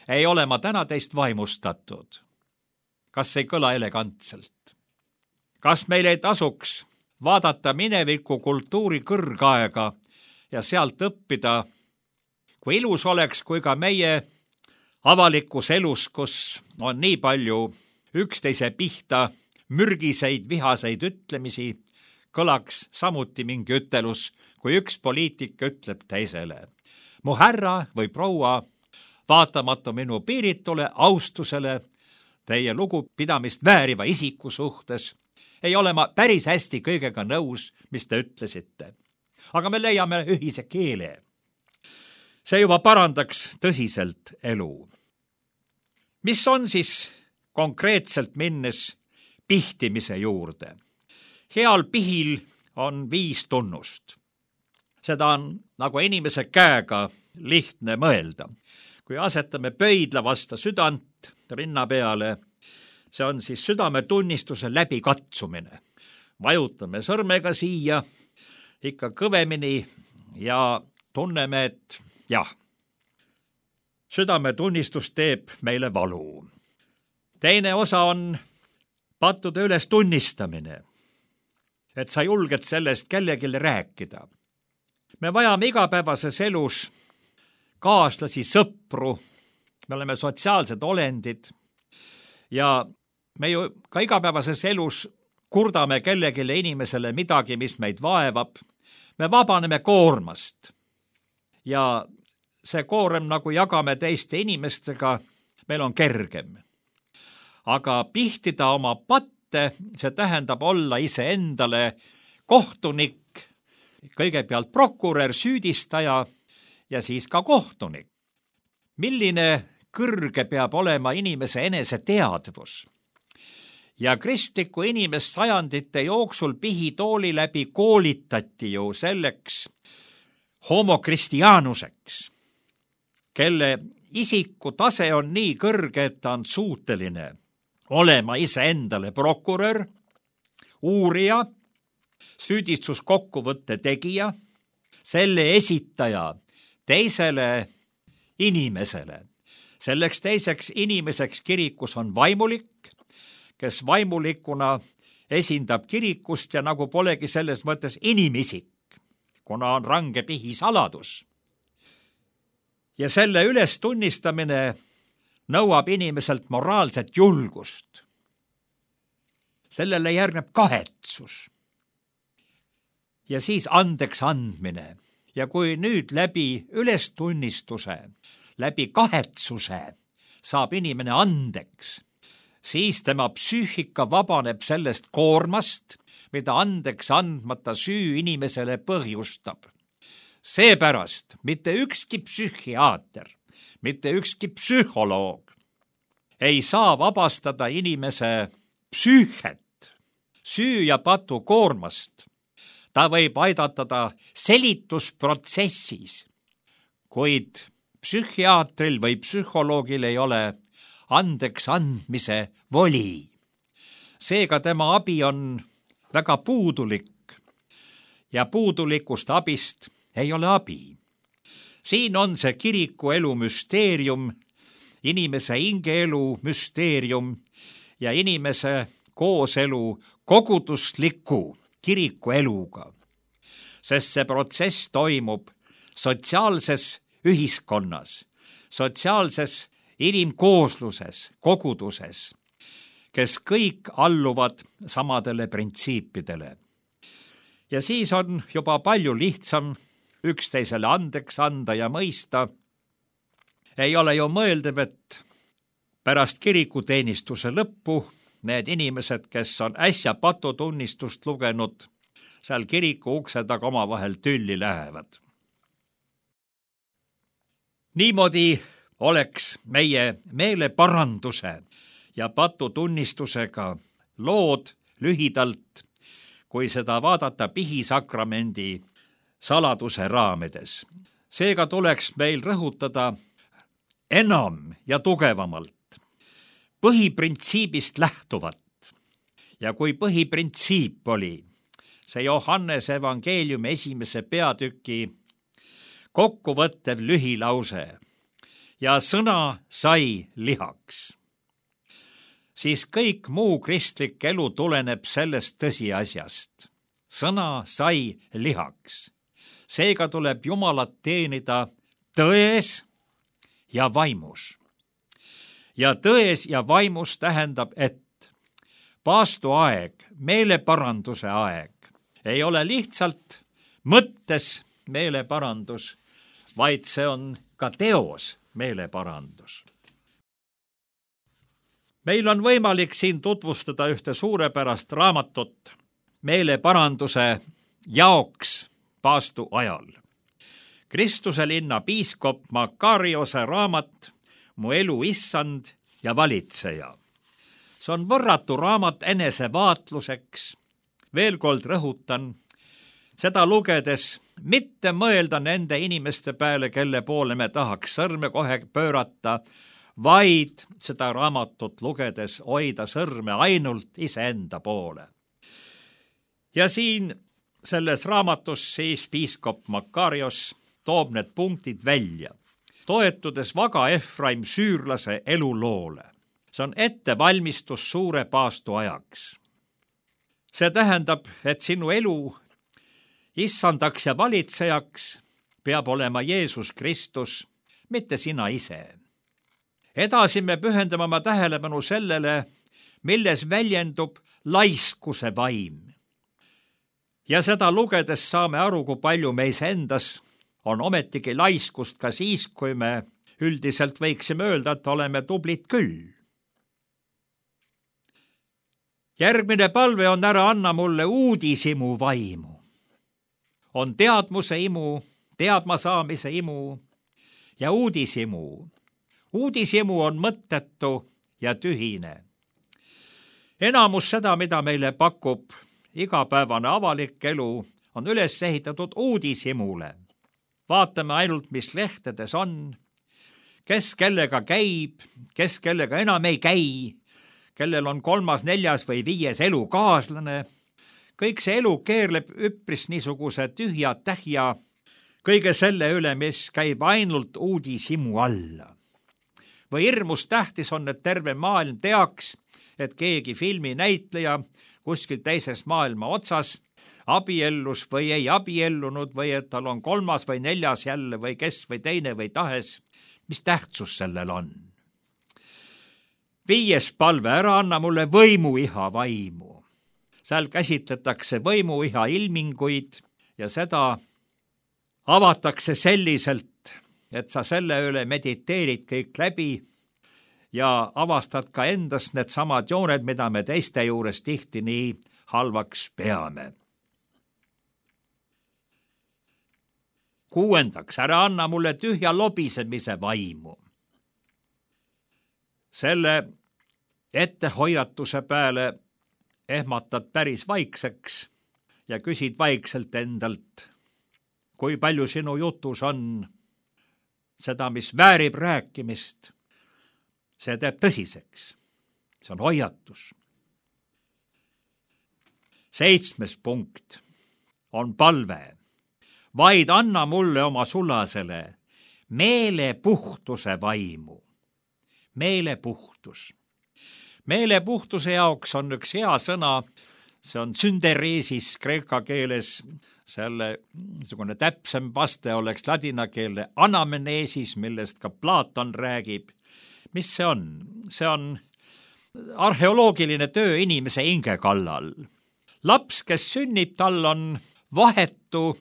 ei ole ma täna teist vaimustatud. Kas ei kõla elegantselt? Kas meil ei tasuks vaadata mineviku kultuuri kõrgaega ja sealt õppida, kui ilus oleks, kui ka meie avalikus elus, kus on nii palju üksteise pihta mürgiseid, vihaseid ütlemisi, kõlaks samuti mingi ütelus, kui üks poliitik ütleb teisele. Mu härra või proua, vaatamata minu piiritule austusele teie lugupidamist vääriva isiku suhtes, ei ole ma päris hästi kõigega nõus, mis te ütlesite. Aga me leiame ühise keele. See juba parandaks tõsiselt elu. Mis on siis konkreetselt minnes pihtimise juurde? Heal pihil on 5 tunnust. Seda on nagu inimese käega lihtne mõelda. Kui asetame pöidla vasta südant rinna peale, see on siis südametunnistuse läbikatsumine. Vajutame sõrmega siia ikka kõvemini ja tunneme, et jah, südametunnistus teeb meile valu. Teine osa on pattude üles tunnistamine, et sa julged sellest kellelegi rääkida. Me vajame igapäevases elus kaaslasi, sõpru, me oleme sotsiaalsed olendid ja me ju ka igapäevases elus kurdame kellegile inimesele midagi, mis meid vaevab. Me vabaneme koormast ja see koorem, nagu jagame teiste inimestega, meil on kergem. Aga pihtida oma patte, see tähendab olla iseendale kohtunik, kõigepealt prokurör, süüdistaja ja siis ka kohtunik. Milline kõrge peab olema inimese eneseteadvus? Ja kristlikku inimest sajandite jooksul pihitooli läbi koolitati ju selleks homo christianuseks, kelle isiku tase on nii kõrge, et ta on suuteline olema iseendale prokurör, uurija, süüdistuskokkuvõtte tegija, selle esitaja teisele inimesele. Selleks teiseks inimeseks kirikus on vaimulik, kes vaimulikuna esindab kirikust ja nagu polegi selles mõttes inimisik, kuna on range pihisaladus. Ja selle ülestunnistamine nõuab inimeselt moraalset julgust. Sellele järgneb kahetsus. Ja siis andeks andmine. Ja kui nüüd läbi ülestunnistuse, läbi kahetsuse saab inimene andeks, siis tema psüühika vabaneb sellest koormast, mida andeks andmata süü inimesele põhjustab. Seepärast mitte ükski psühhiaater, mitte ükski psühholoog ei saa vabastada inimese psüühet süü ja patu koormast. Ta võib aidata selitusprotsessis, kuid psühhiaatril või psühholoogil ei ole andeks andmise voli. Seega tema abi on väga puudulik ja puudulikust abist ei ole abi. Siin on see kiriku elu müsteerium, inimese hingeelu müsteerium ja inimese kooselu kogudusliku kiriku eluga, sest see protsess toimub sotsiaalses ühiskonnas, sotsiaalses inimkoosluses, koguduses, kes kõik alluvad samadele printsiipidele. Ja siis on juba palju lihtsam üksteisele andeks anda ja mõista. Ei ole ju mõeldav, et pärast kirikuteenistuse lõppu need inimesed, kes on äsja patutunnistust lugenud, seal kiriku ukse taga omavahel tülli lähevad. Niimoodi oleks meie meeleparanduse ja patutunnistusega lood lühidalt, kui seda vaadata pihisakramendi saladuse raamides. Seega tuleks meil rõhutada enam ja tugevamalt põhiprintsiibist lähtuvat. Ja kui põhiprintsiip oli see Johannese evangeeliumi 1. peatüki kokkuvõttev lühilause ja sõna sai lihaks, siis kõik muu kristlik elu tuleneb sellest tõsiasjast. Sõna sai lihaks. Seega tuleb Jumalat teenida tões ja vaimus. Ja tões ja vaimus tähendab, et paastuaeg, meeleparanduse aeg ei ole lihtsalt mõttes meeleparandus, vaid see on ka teos meeleparandus. Meil on võimalik siin tutvustada ühte suurepärast raamatut meeleparanduse jaoks paastu ajal. Kristuse linna piiskop Makariose raamat Mu elu issand ja valitseja. See on võrratu raamat enesevaatluseks. Veel kord rõhutan, seda lugedes mitte mõelda nende inimeste peale, kelle poole me tahaks sõrme kohe pöörata, vaid seda raamatut lugedes hoida sõrme ainult iseenda poole. Ja siin selles raamatus siis piiskop Makarios toob need punktid välja, toetudes vaga Efraim süürlase eluloole. See on ettevalmistus suure paastu ajaks. See tähendab, et sinu elu issandaks ja valitsejaks peab olema Jeesus Kristus, mitte sina ise. Edasi me pühendame oma tähelepanu sellele, milles väljendub laiskuse vaim. Ja seda lugedes saame aru, kui palju meis endas on ometigi laiskust ka siis, kui me üldiselt võiksime öelda, et oleme tublid küll. Järgmine palve on ära anna mulle uudisimu vaimu. On teadmuse imu, teadma saamise imu ja uudishimu. uudishimu on mõttetu ja tühine. Enamus seda, mida meile pakub igapäevane avalik elu, on üles ehitatud uudishimule. Vaatame ainult, mis lehtedes on, kes kellega käib, kes kellega enam ei käi, kellel on 3., 4. või 5. elukaaslane. Kõik see elu keerleb üpris niisuguse tühja tähja kõige selle üle, mis käib ainult uudishimu alla. Või hirmus tähtis on, et terve maailm teaks, et keegi filminäitleja kuskil teises maailma otsas abiellus või ei abiellunud või et tal on 3. või 4. jälle või kes või teine või tahes. Mis tähtsus sellel on? 5. palve, ära anna mulle võimuiha vaimu. Seal käsitletakse võimuiha ilminguid ja seda avatakse selliselt, et sa selle üle mediteerid kõik läbi ja avastad ka endast need samad jooned, mida me teiste juures tihti nii halvaks peame. 6. ära anna mulle tühja lobisemise vaimu. Selle ettehoiatuse peale ehmatad päris vaikseks ja küsid vaikselt endalt, kui palju sinu jutus on seda, mis väärib rääkimist. See teeb tõsiseks. See on hoiatus. 7. punkt on palve. Vaid anna mulle oma sulasele meelepuhtuse vaimu. Meelepuhtus. Meelepuhtuse jaoks on üks hea sõna, see on synderesis kreeka keeles, selle niisugune täpsem vaste oleks ladinakeelne anamneesis, millest ka Platon räägib. Mis see on? See on arheoloogiline töö inimese hinge kallal. Laps, kes sünnib, tal on vahetu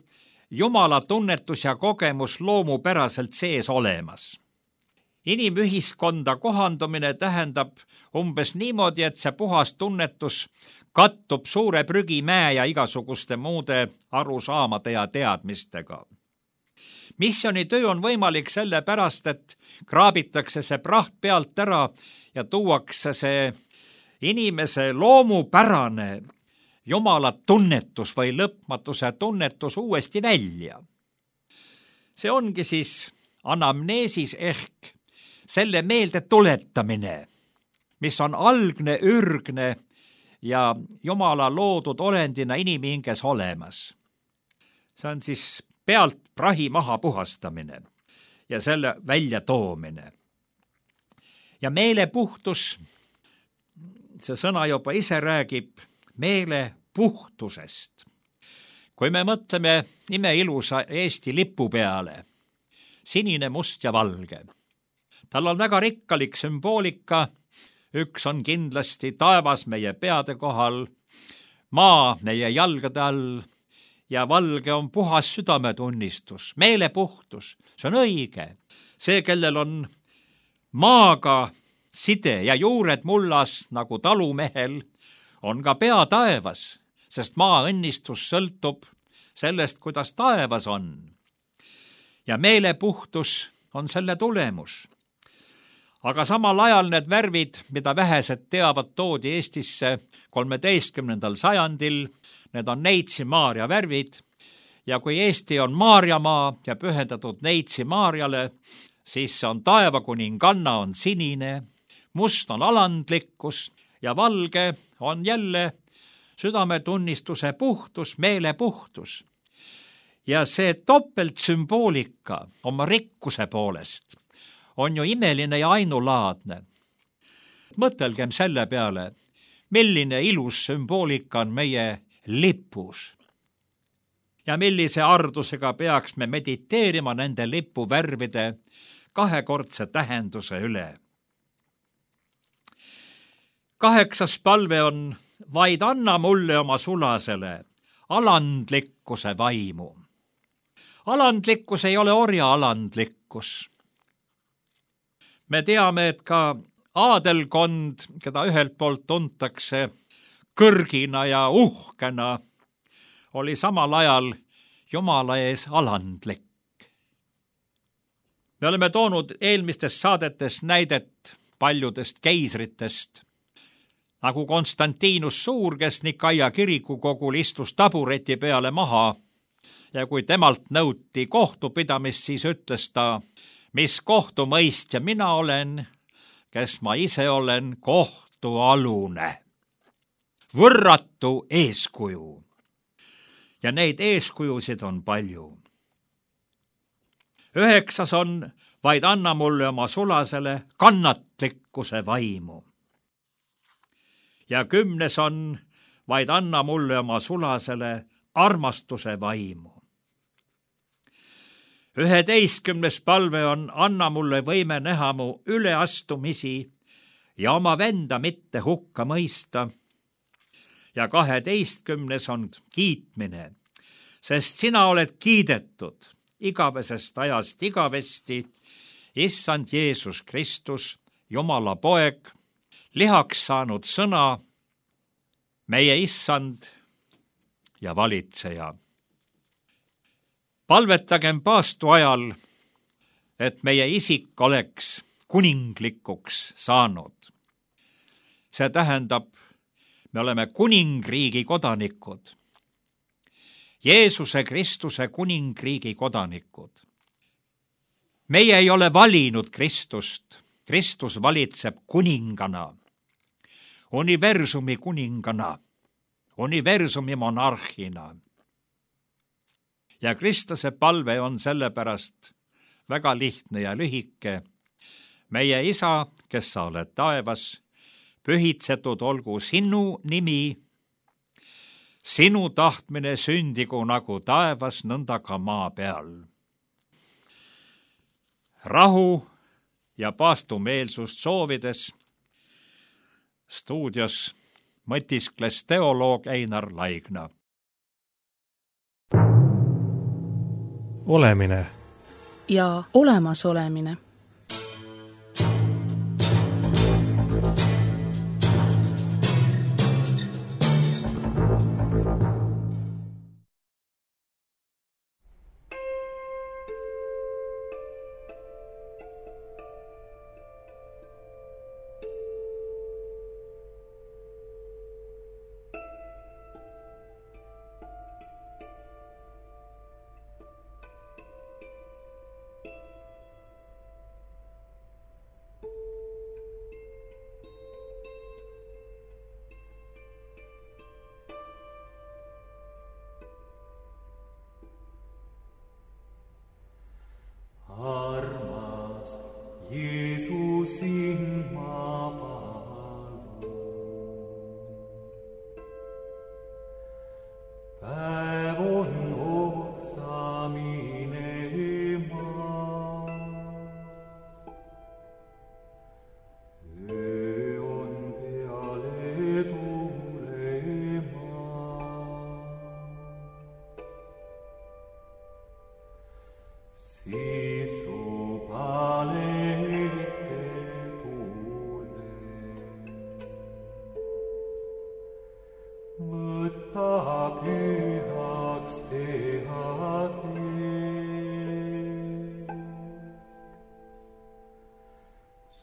Jumala tunnetus ja kogemus loomupäraselt sees olemas. Inimühiskonda kohandumine tähendab umbes niimoodi, et see puhas tunnetus kattub suure prügimäe ja igasuguste muude arusaamade ja teadmistega. Missionitöö on võimalik sellepärast, et kraabitakse see praht pealt ära ja tuuakse see inimese loomupärane Jumala tunnetus või lõpmatuse tunnetus uuesti välja. See ongi siis anamneesis ehk selle meelde tuletamine, mis on algne, ürgne ja Jumala loodud olendina inimhinges olemas. See on siis pealt prahi maha puhastamine ja selle välja toomine. Ja meelepuhtus, see sõna juba ise räägib meelepuhtusest. Kui me mõtleme imeilusa Eesti lipu peale, sinine, must ja valge, tal on väga rikkalik sümboolika, üks on kindlasti taevas meie peade kohal, maa meie jalgade all ja valge on puhas südametunnistus, meelepuhtus, see on õige. See, kellel on maaga side ja juured mullas nagu talumehel, on ka pea taevas, sest maa õnnistus sõltub sellest, kuidas taevas on. Ja meelepuhtus on selle tulemus. Aga samal ajal need värvid, mida vähesed teavad, toodi Eestisse 13. sajandil, need on Neitsi Maarja värvid ja kui Eesti on Maarjamaa ja pühendatud Neitsi Maarjale, siis on taevakuninganna on sinine, must on alandlikkus ja valge on jälle südametunnistuse puhtus, meelepuhtus. Ja see topeltsümboolika oma rikkuse poolest on ju imeline ja ainulaadne. Mõtelgem selle peale, milline ilus sümboolika on meie lipus. Ja millise ardusega peaks me mediteerima nende lipuvärvide kahekordse tähenduse üle. 8. palve on, vaid anna mulle oma sulasele alandlikkuse vaimu. Alandlikkus ei ole orja alandlikkus. Me teame, et ka aadelkond, keda ühelt poolt tuntakse kõrgina ja uhkena, oli samal ajal Jumala ees alandlik. me oleme toonud eelmistes saadetes näidet paljudest keisritest, nagu Konstantinus Suur, kes Nikaia kirikukogul istus tabureti peale maha ja kui temalt nõuti kohtupidamist, siis ütles ta, mis kohtumõistja mina olen, kes ma ise olen, kohtualune. Võrratu eeskuju. Ja neid eeskujusid on palju. 9. on, vaid anna mulle oma sulasele kannatlikkuse vaimu. Ja 10. on, vaid anna mulle oma sulasele armastuse vaimu. 11. palve on, anna mulle võime näha mu üleastumisi ja oma venda mitte hukka mõista. Ja 12. on kiitmine, sest sina oled kiidetud igavesest ajast igavesti, issand Jeesus Kristus, Jumala poeg, lihaks saanud sõna, meie issand ja valitseja. Palvetagem paastu ajal, et meie isik oleks kuninglikuks saanud. See tähendab, me oleme kuningriigi kodanikud. Jeesuse Kristuse kuningriigi kodanikud. Meie ei ole valinud Kristust. Kristus valitseb kuningana, universumi kuningana, universumi monarhina. Ja Kristuse palve on sellepärast väga lihtne ja lühike. Meie isa, kes sa oled taevas, pühitsetud olgu sinu nimi, sinu tahtmine sündigu nagu taevas, nõnda ka maa peal. Rahu ja paastumeelsust soovides stuudios mõtiskles teoloog Einar Laigna. Olemine ja olemasolemine. Armas Jeesus sind ma palun. Päev on otsa minemas. Öö on peale tulemas. Sisu palete tule. Võta pühaks teha teed.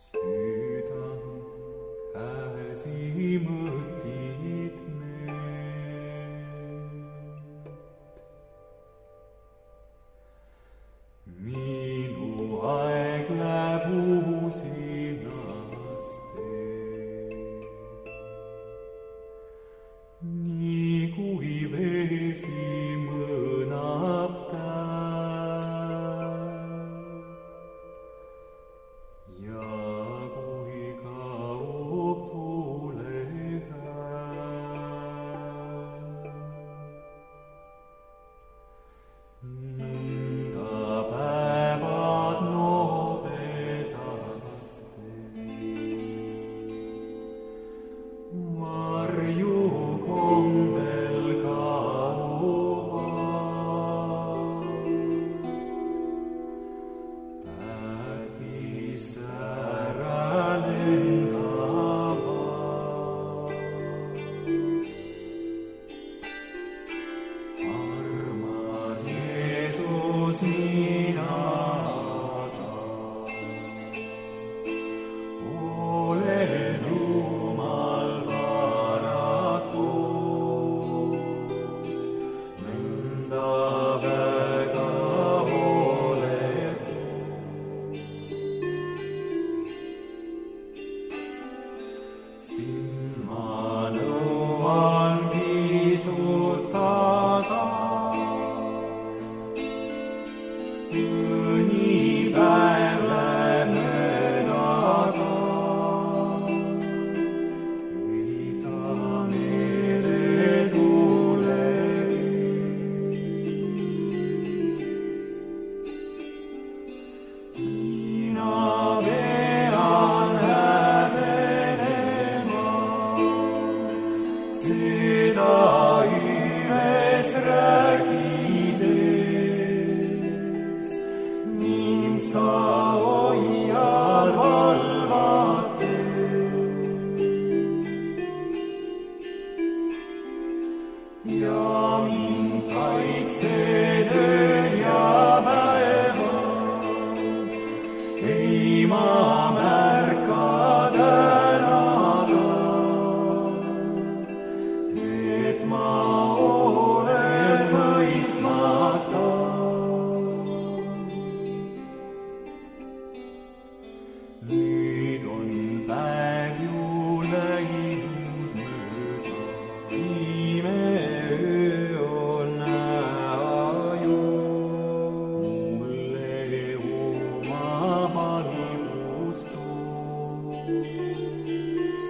Südant käsi mõtid meelt. Minu aeg läheb usinasti, nii kui vesi mõnab täis ja kui kaob tuule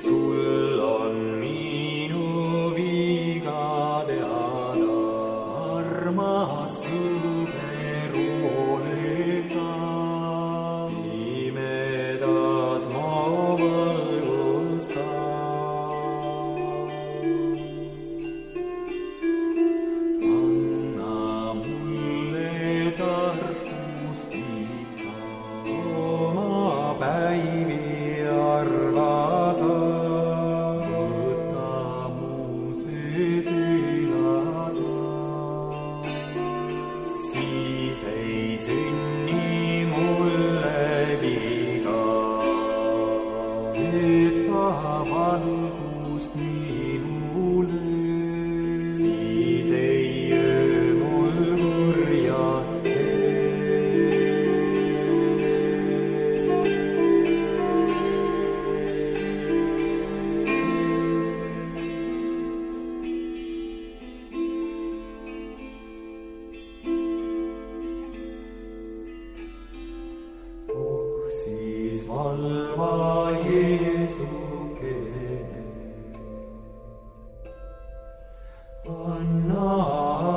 sul on minu viga teada, armas sõber ole sa. Pimedas ma valgustan. Päivi arvata, võta mu sees elada. Siis ei sünni mulle viga, et sa valgust minule. Siis ei öö mul kurja siis valva Jeesukene, anna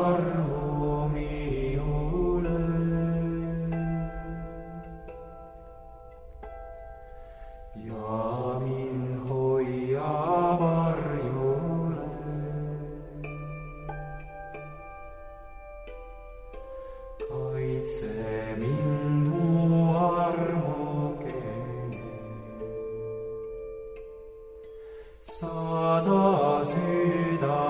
armu minule. Ja mind hoia varjule, kaitse mind mu armukene. Saada süda